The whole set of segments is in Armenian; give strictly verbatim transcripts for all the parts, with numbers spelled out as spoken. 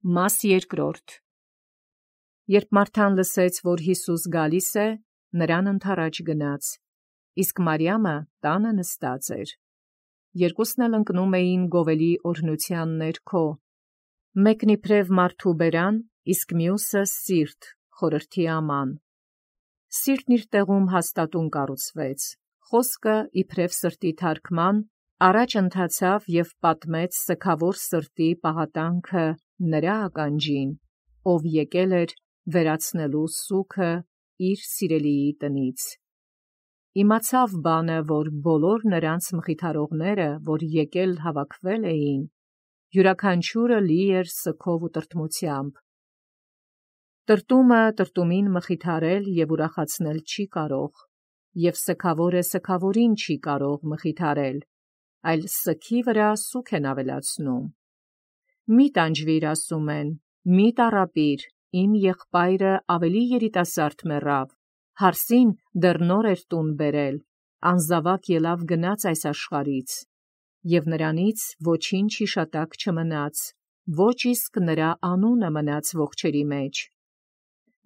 Մաս երկրորդ. Երբ Մարթան լսեց, որ Յիսուս գալիս է, նրան ընդառաջ գնաց, իսկ Մարիամը տանը նստած էր։ Երկուսն էլ ընկնում էին գովելի օրհնության ներքո, մեկն իբրև մարդու բերան, իսկ մյուսը սիրտ, խորհրդի աման։ Սիրտն իր տեղում հաստատուն կառուցվեց, խոսքը իբրև սրտի թարգման, առաջ ընթացավ և պատմեց սգավոր սրտի պաղատանքը նրա ականջին, ով եկել էր վերացնելու սուգը իր սիրելիի տնից։ Իմացավ բանը, որ բոլոր նրանց մխիթարողները, որ եկել հավաքվել էին, յուրաքանչյուրը լի էր սգով ու տրտմությամբ։ Տրտումը տրտումին մխիթարել և ուրախացնել չի կարող, և սգավորը սգավորին չի կարող մխիթարել, այլ սգի վրա սուգ են ավելացնում։ Մի տանջվիր, ասում են, մի տառապիր, իմ եղբայրը ավելի երիտասարդ մեռավ, հարսին դեռ նոր էր տուն բերել, անզավակ ելավ գնաց այս աշխարհից, և նրանից ոչինչ հիշատակ չմնաց, ոչ իսկ նրա անունը մնաց ողջերի մեջ։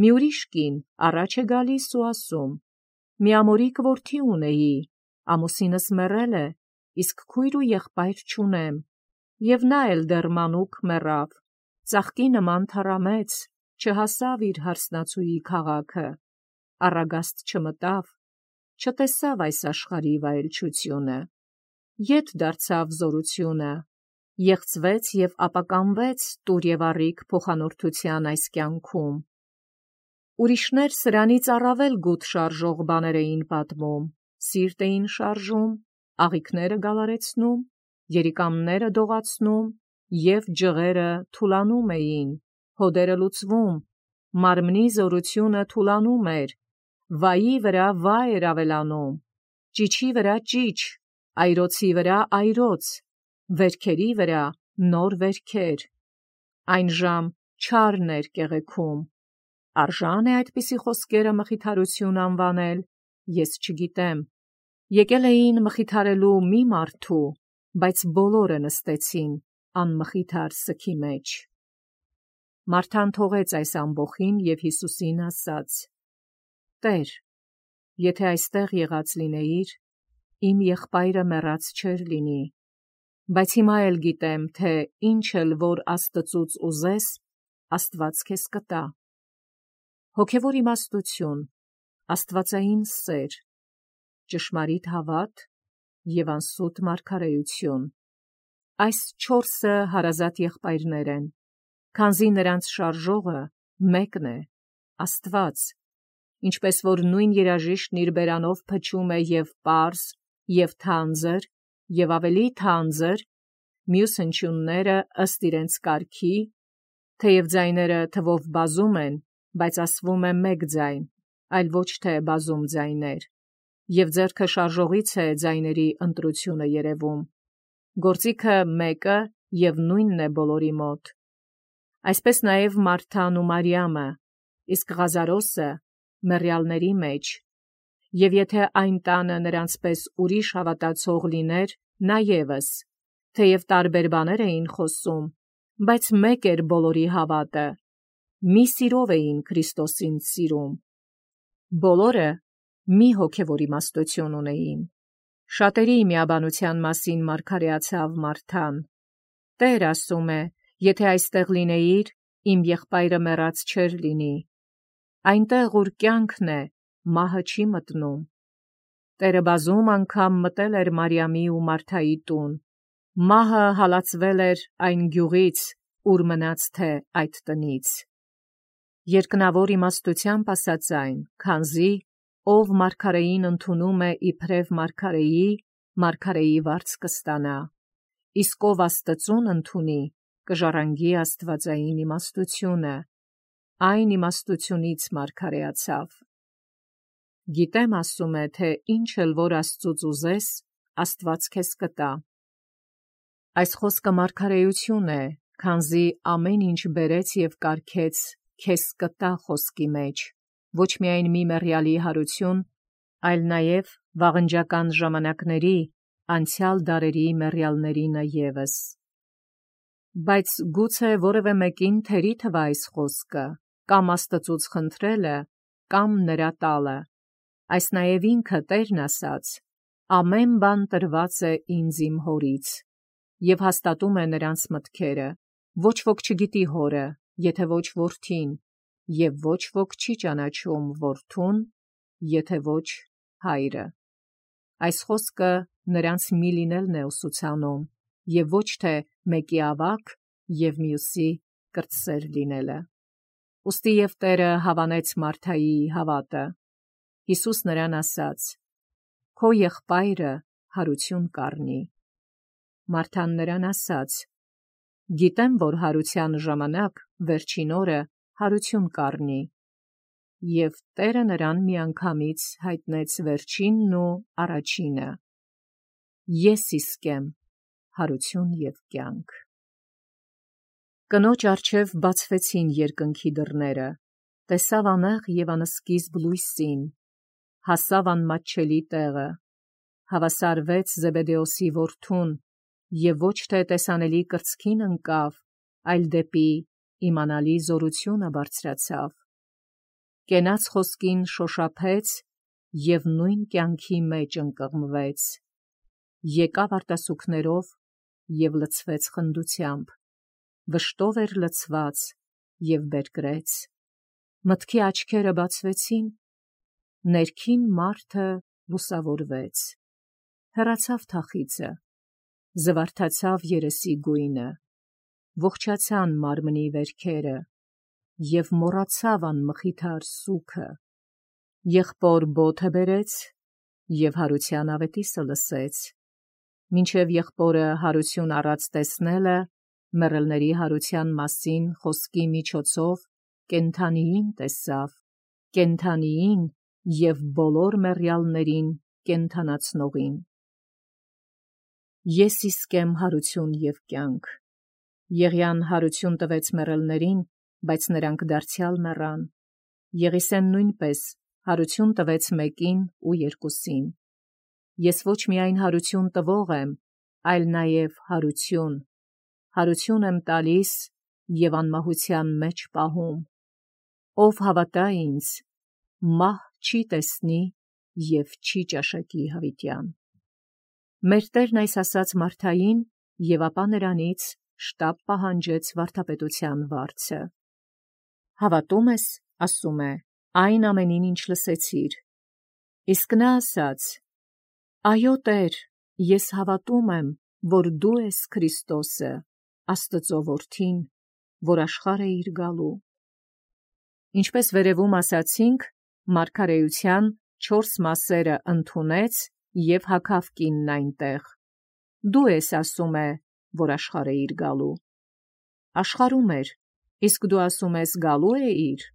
Մի ուրիշ կին առաջ է գալիս ու ասում. մի ամորիկ որդի ունեի, ամուսինս մեռել է, իսկ քույր ու եղբայր չունեմ, և նա էլ դեռ մանուկ մեռավ, ծաղկի նման թառամեց, չհասավ իր հարսնացուի քաղաքը, առագաստ չմտավ, չտեսավ այս աշխարհի վայելչությունը, ետ դարձավ զորությունը, եղծվեց և ապականվեց տուր և առիք փոխանորդության այս կյանքում։ Ուրիշներ սրանից առավել գութ շարժող բաներ էին պատմում, սիրտ էին շարժում, աղիքները գալարեցնում, երիկամները դողացնում, և ջղերը թուլանում էին, հոդերը լուծվում, մարմնի զորությունը թուլանում էր, վայի վրա վայ էր ավելանում, ճիչի վրա ճիչ, այրոցի վրա այրոց, վերքերի վրա նոր վերքեր, այն ժամ չարն էր կեղեքում։ Արժա՞ն է այդպիսի խոսքերը մխիթարություն անվանել, ես չգիտեմ։ Եկել էին մխիթարելու մի մարդու, բայց բոլորը նստեցին անմխիթար սգի մեջ։ Մարթան թողեց այս ամբոխին և Հիսուսին ասաց. «Տեր, եթե այստեղ եղած լինեիր, իմ եղբայրը մեռած չէր լինի, բայց հիմա էլ գիտեմ, թե ինչ էլ որ Աստծուց ուզես, Աստված քեզ կտա։ Հոգևոր իմաստություն, աստվածային սեր, ճշմարիտ հավատ և անսուտ մարգարեություն։ Այս չորսը հարազատ եղբայրներ են, քանզի նրանց շարժողը մեկն է, Աստված, ինչպես որ նույն երաժիշտն իր բերանով փչում է և պարզ, և թանձր, և ավելի թանձր, մյուս հնչյունները ըստ իրենց կարգի, թեև ձայները թվով բազում են, բայց ասվում է մեկ ձայն, այլ ոչ թե բազում ձայներ, և ձեռքը շարժողից է ձայների ընտրությունը երևում։ Գործիքը մեկը և նույնն է բոլորի մոտ։ Այսպես նաև Մարթան ու Մարիամը, իսկ Ղազարոսը մեռյալների մեջ, և եթե այն տանը նրանց պես ուրիշ հավատացող լիներ, նա ևս, թեև տարբեր բաներ էին խոսում, բայց մեկ էր բոլորի հավատը, մի սիրով էին Քրիստոսին սիրում։ Բոլորը մի հոգևոր իմաստություն ունեին։ Շատերի միաբանության մասին մարգարեացավ Մարթան. «Տեր, ասում է, եթե այստեղ լինեիր, իմ եղբայրը մեռած չէր լինի։ Այնտեղ, ուր կյանքն է, մահը չի մտնում»։ Տերը բազում անգամ մտել էր Մարիամի ու Մարթայի տուն, մահը հալածվել էր այն գյուղից, ուր մնաց թե այդ տնից։ Երկնավոր իմաստությամբ ասած այն, քանզի ով մարգարեին ընդունում է իբրև մարգարեի, մարգարեի վարձ կստանա, իսկ ով Աստծուն ընդունի, կժառանգի աստվածային իմաստությունը, այն իմաստությունից մարգարեացավ։ Գիտեմ, ասում է, թե ինչ էլ որ Աստծուց ուզես, Աստված քեզ կտա։ Այս խոսքը մարգարեություն է, քանզի ամեն ինչ բերեց և կարգեց քեզ կտա խոսքի մեջ, ոչ միայն մի մեռյալի հարություն, այլ նաև վաղնջական ժամանակների, անցյալ դարերի մեռյալներինը ևս։ Բայց գուցե որևէ մեկին թերի թվա այս խոսքը, կամ Աստծուց խնդրելը, կամ նրա տալը։ Այս նաև ինքը Տերն ասաց. «Ամեն բան տրված է ինձ իմ Հորից», և հաստատում է նրանց մտքերը։ Ոչ ոք չգիտի Հորը, եթե ոչ Որդին, և ոչ ոք չի ճանաչում Որդուն, եթե ոչ Հայրը։ Այս խոսքը նրանց մի լինելն է ուսուցանում, և ոչ թե մեկի ավագ և մյուսի կրտսեր լինելը։ Ուստի և Տերը հավանեց Մարթայի հավատը։ Հիսուս նրան ասաց. «Քո եղբայրը հարություն կառնի»։ Մարթան նրան ասաց. «Գիտեմ, որ հարության ժամանակ վերջին օրը հարություն կառնի»։ Եվ Տերը նրան միանգամից հայտնեց վերջինն ու առաջինը. «Ես իսկ եմ հարություն և կյանք»։ Կնոջ առջև բացվեցին երկնքի դռները, տեսավ անեղ և անսկիզբ լույսին, հասավ անմատչելի տեղը, հավասարվեց Զեբեդեոսի որդուն և ոչ թե տեսանելի կրծքին ընկավ, այլ դեպի իմանալի զորությունը բարձրացավ։ Կենաց խոսքին շոշափեց և նույն կյանքի մեջ ընկղմվեց, եկավ արտասուքներով և լցվեց խնդությամբ, վշտով էր լցված և բերկրեց, մտքի աչքերը բացվեցին, ներքին մարդը լուսավորվեց, հեռացավ թախիծը, զվարթացավ երեսի գույնը, ողջացան մարմնի վերքերը և մոռացավ անմխիթար սուգը, եղբոր բոթը բերեց և հարության ավետիսը լսեց, մինչև եղբորը հարություն առած տեսնելը, մեռելների հարության մասին խոսքի միջոցով կենդանիին տեսավ, կենդանիին և բոլոր մեռյալներին կենդանացնողին։ Ես իսկ եմ հարություն և կյանք։ Եղիան հարություն տվեց մեռելներին, բայց նրանք դարձյալ մեռան։ Եղիսեն նույնպես հարություն տվեց մեկին ու երկուսին։ Ես ոչ միայն հարություն տվող եմ, այլ նաև հարություն, հարություն եմ տալիս և անմահության մեջ պահում։ Ով հավատա ինձ, մահ չի տեսնի և չի ճաշակի հավիտյան։ Մեր Տերն այս ասաց Մարթային և ապա նրանից շտապ պահանջեց վարդապետության վարձը։ Հավատո՞ւմ ես, ասում է, այն ամենին, ինչ լսեցիր։ Իսկ նա ասաց. Այո Տեր, ես հավատում եմ, որ դու ես Քրիստոսը, Աստծո Որդին, որ աշխարհ էիր գալու։ Ինչպես վերևում ասացինք, մարգարեության չորս մասերը ընդունեց և հագավ կինն այնտեղ։ Դու ես, ասում է, որ աշխարհ էիր գալու։ Աշխարհում էր, իսկ դու ասում ես գալու էիր։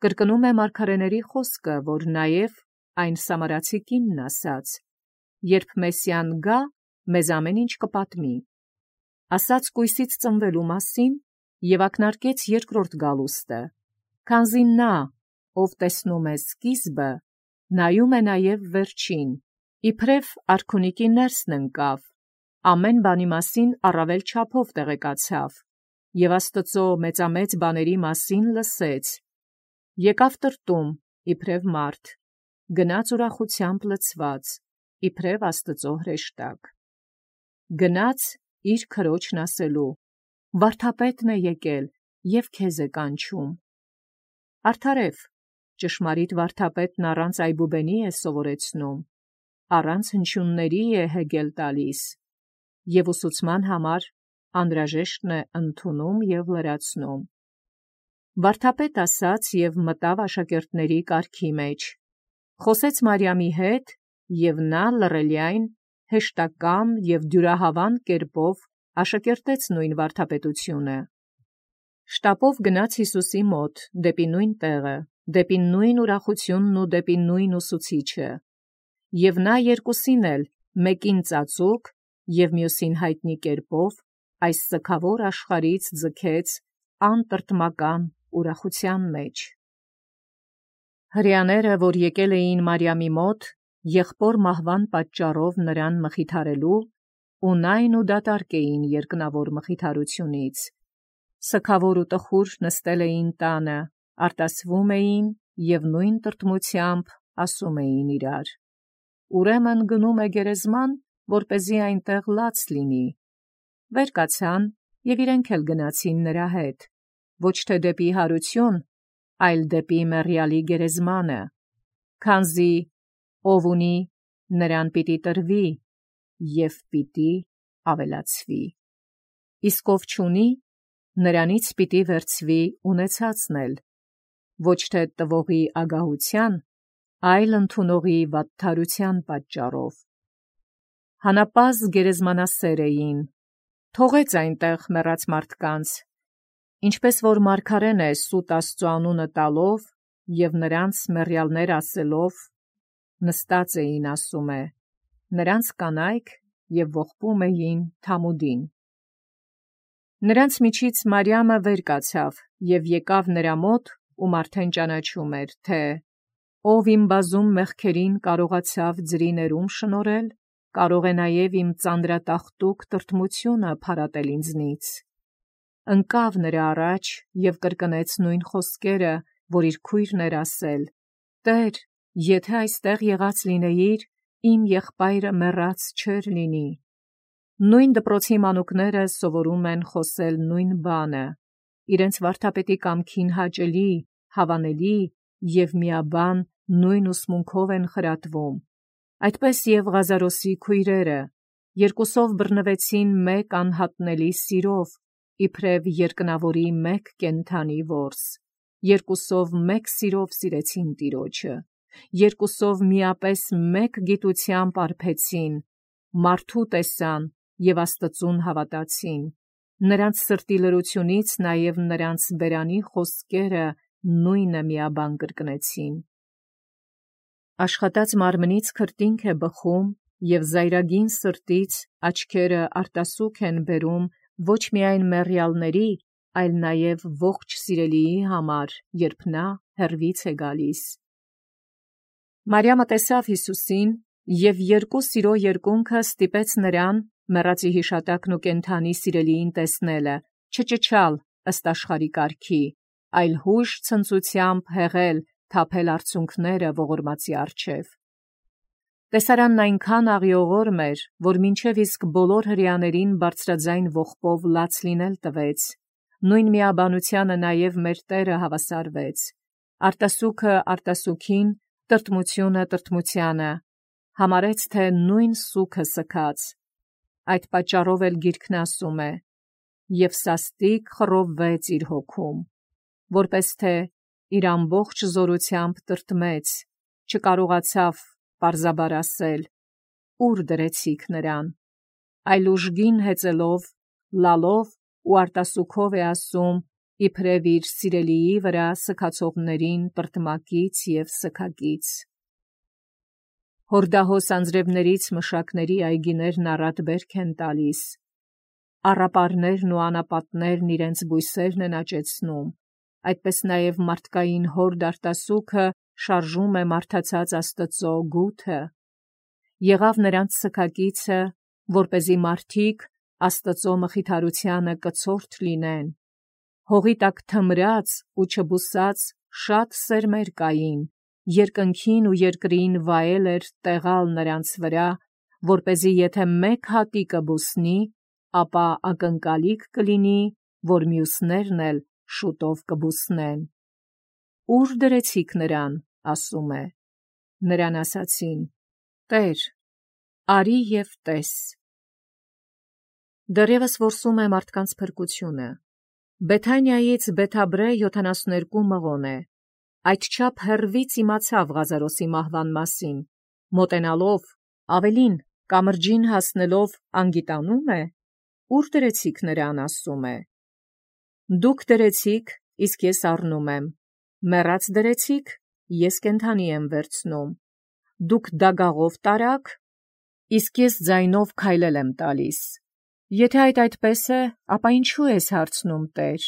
Կրկնում է մարգարեների խոսքը, որ նաև այն սամարացի կինն ասաց. երբ Մեսիան գա, մեզ ամեն ինչ կպատմի։ Ասաց կույսից ծնվելու մասին և ակնարկեց երկրորդ գալուստը, քանզի նա, ով տեսնում է սկիզբը, նայում է նաև վերջին, իբրև արքունիկի ներսն ընկավ, ամեն բանի մասին առավել չափով տեղեկացավ և Աստծո մեծամեծ բաների մասին լսեց, եկավ տրտում, իբրև մարդ, գնաց ուրախությամբ լցված, իբրև Աստծո հրեշտակ։ Գնաց իր քրոջն ասելու. «Վարդապետն է եկել և քեզ է կանչում»։ Արդարև, ճշմարիտ վարդապետն առանց այբուբենի է սովորեցնում, առանց հնչյունների է հեգել տալիս և ուսուցման համար անհրաժեշտն է ընդունում և լրացնում։ Վարդապետ ասաց և մտավ աշակերտների կարգի մեջ, խոսեց Մարիամի հետ, և նա լռելյայն, հեշտակամ և դյուրահավան կերպով աշակերտեց նույն վարդապետությունը։ Շտապով գնաց Հիսուսի մոտ, դեպի նույն տեղը, դեպի նույն ուրախությունն ու դեպի նույն ուսուցիչը։ Եվ նա երկուսին էլ, մեկին ծածուկ և մյուսին հայտնի կերպով, այս սգավոր աշխարհից ձգեց անտրտմական ուրախության մեջ։ Հրեաները, որ եկել էին Մարիամի մոտ, եղբոր մահվան պատճառով նրան մխիթարելու, ունայն ու դատարկ էին երկնավոր մխիթարությունից։ Սքավոր ու տխուր նստել էին տանը, արտասվում էին և նույն տրտմությամբ ասում էին իրար. «Ուրեմն գնում է գերեզման, որպեսզի այնտեղ լաց լինի»։ Վեր կացան և իրենք էլ գնացին նրա հետ, ոչ թե դեպի հարություն, այլ դեպի մեռյալի գերեզմանը, քանզի ով ունի, նրան պիտի տրվի, և պիտի ավելացվի, իսկ ով չունի, նրանից պիտի վերցվի ունեցածն էլ, ոչ թե տվողի ագահության, այլ ընդունողի վատթարության պատճառով։ Հանապազգ գերեզմանասեր էին, թողեց այնտեղ մեռած մարդկանց, ինչպես որ մարգարեն է սուտ Աստծու անունը տալով և նրանց մեռյալներ ասելով, նստած էին ասում է, նրանց կանայք և ողբում էին թամուդին։ Նրանց միջից Մարիամը վեր կացավ և եկավ նրա մոտ, ում արդեն ճանաչում էր, թե ով իմ բազում մեղքերին կարողացավ ձրի ներում շնորհել, կարող է նաև իմ ծանրատախտուկ տրտմությունը փարատել ինձնից։ Ընկավ նրա առաջ և կրկնեց նույն խոսքերը, որ իր քույրն էր ասել. «Տեր, եթե այստեղ եղած լինեիր, իմ եղբայրը մեռած չէր լինի»։ Նույն դպրոցի մանուկները սովորում են խոսել նույն բանը, իրենց վարդապետի կամքին հաճելի, հավանելի և միաբան նույն ուսմունքով են խրատվում։ Այդպես և Ղազարոսի քույրերը երկուսով բռնվեցին մեկ անհատնելի սիրով, իբրև երկնավորի մեկ կենդանի որս, երկուսով մեկ սիրով սիրեցին Տիրոջը, երկուսով միապես մեկ գիտությամբ արբեցին, մարդու տեսան և Աստծուն հավատացին, նրանց սրտի լրությունից նաև նրանց բերանի խոսքերը նույնը միաբան կրկնեցին։ Աշխատած մարմնից քրտինք է բխում, և զայրագին սրտից աչքերը արտասուք են բերում ոչ միայն մեռյալների, այլ նաև ողջ սիրելիի համար, երբ նա հեռվից է գալիս։ Մարիամը տեսավ Հիսուսին, և երկու սիրո երկունքը ստիպեց նրան մեռածի հիշատակն ու կենդանի սիրելիին տեսնելը, չճչալ ըստ աշխարհի կարգի, այլ հույժ ցնծությամբ հեղել, թափել արցունքները ողորմածի առջև։ Տեսարանն այնքան աղիողորմ էր, որ մինչև իսկ բոլոր հրեաներին բարձրաձայն ողբով լաց լինել տվեց, նույն միաբանությանը նաև մեր Տերը հավասարվեց, արտասուքը արտասուքին, տրտմությունը տրտմությանը, համարեց, թե նույն սուգը սգաց։ Այդ պատճառով էլ Գիրքն ասում է. «Եվ սաստիկ խռովվեց իր հոգում», որպես թե իր ամբողջ զորությամբ տրտմեց, չկարողացավ պարզաբար ասել. «Ո՞ւր դրեցիք նրան», այլ ուժգին հեծելով, լալով ու արտասուքով է ասում, իբրև իր սիրելիի վրա սգացողներին տրտմակից և սգակից։ Հորդահոս անձրևներից մշակների այգիներն առատ բերք են տալիս, առապարներն ու անապատներն իրենց բույսերն են աճեցնում, այդպես նաև մարդկային հորդ արտասուքը շարժում է մարդացած Աստծո գութը։ Եղավ նրանց սգակիցը, որպեսզի մարդիկ Աստծո մխիթարությանը կցորդ լինեն։ Հողի տակ թմրած ու չբուսած շատ սերմեր կային, երկնքին ու երկրին վայել էր տեղալ նրանց վրա, որպեսզի եթե մեկ հատիկը բուսնի, ապա ակնկալիք կլինի, որ մյուսներն էլ շուտով կբուսնեն։ «Ո՞ւր դրեցիք նրան», ասում է։ Նրան ասացին. «Տեր, արի և տես»։ Դեռևս որսում է մարդկանց փրկությունը։ Բեթանիայից Բեթաբրե յոթանասուներկու մղոն է։ Այդչափ հեռվից իմացավ Ղազարոսի մահվան մասին, մոտենալով, ավելին, կամրջին հասնելով անգիտանո՞ւմ է, ո՞ւր դրեցիք նրան, ասում է։ Դուք դրեցիք, իսկ ես առնում եմ, մեռած դրեցիք, ես կենդանի եմ վերցնում, դուք դագաղով տարաք, իսկ ես ձայնով քայլել եմ տալիս։ Եթե այդ այդպես է, ապա ինչու ես հարցնում, Տեր։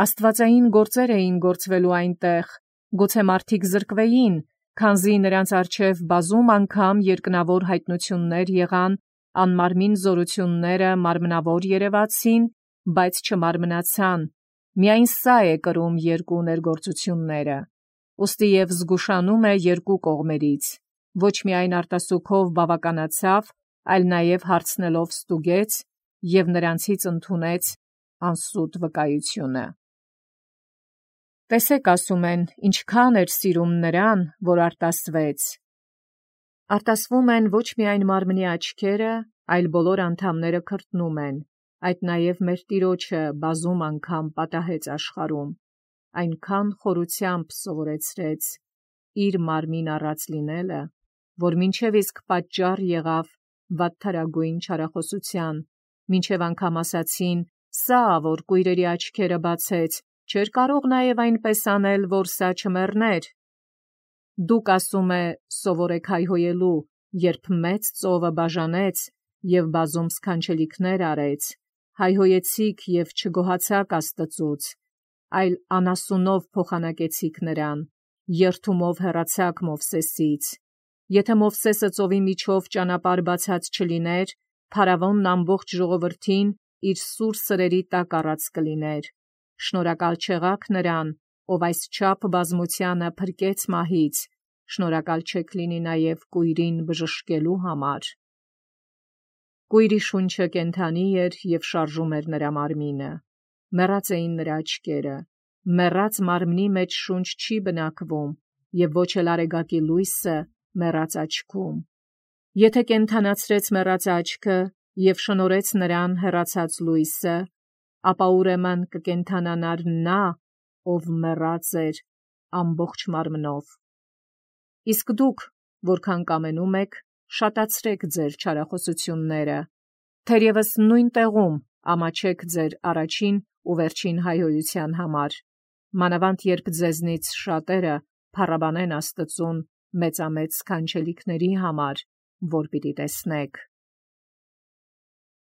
Աստվածային գործեր էին գործվելու այնտեղ, գուցե մարդիկ զրկվեին, քանզի նրանց առջև բազում անգամ երկնավոր հայտնություններ եղան անմարմին զորությունները մարմնավոր երևացին, բայց չմարմնացան, միայն սա է կրում երկու ներգործությունները, ուստի և զգուշանում է երկու կողմերից, ոչ միայն արտասուքով բավականացավ, այլ նաև հարցնելով ստուգեց և նրանցից ընդունեց անսուտ վկայությունը։ Տեսեք, ասում են, ինչքան էր սիրում նրան, որ արտասվեց։ Արտասվում են ոչ միայն մարմնի աչքերը, այլ բոլոր անդամները քրտնում են, այդ նաև մեր Տիրոջը բազում անգամ պատահեց աշխարհում, այնքան խորությամբ սովորեցրեց իր մարմին առած լինելը, որ մինչև իսկ պատճառ եղավ վատթարագույն չարախոսության, մինչև անգամ ասացին. «Սա, որ կույրերի աչքերը բացեց, չէր կարող նաև այնպես անել, որ սա չմեռներ»։ Դուք, ասում է, սովոր եք հայհոյելու, երբ մեծ ծովը բաժանեց և բազում սքանչելիքներ արեց, հայհոյեցիք և չգոհացաք Աստծուց, այլ անասունով փոխանակեցիք նրան, երդումով հեռացաք Մովսեսից։ Եթե Մովսեսը ծովի միջով ճանապարհ բացած չլիներ, փարավոնն ամբողջ ժողովրդին իր սուր սրերի տակ առած կլիներ։ Շնորհակալ չեղաք նրան, ով այսչափ բազմությանը փրկեց մահից, շնորհակալ չեք լինի նաև կույրին բժշկելու համար։ Կույրի շունչը կենդանի էր և շարժում էր նրա մարմինը, մեռած էին նրա աչքերը, մեռած մարմնի մեջ շունչ չի բնակվում, և ոչ էլ արեգակի լույսը մեռած աչքում։ Եթե կենդանացրեց մեռած աչքը և շնորհեց նրան հեռացած լույսը, ապա ուրեմն կկենդանանար նա, ով մեռած էր ամբողջ մարմնով։ Իսկ դուք, որքան կամենում եք, շատացրեք ձեր չարախոսությունները, թերևս նույն տեղում ամաչեք ձեր առաջին ու վերջին հայհոյության համար, մանավանդ երբ ձեզնից շատերը փառաբանեն Աստծուն մեծամեծ սքանչելիքների համար, որ պիտի տեսնեք։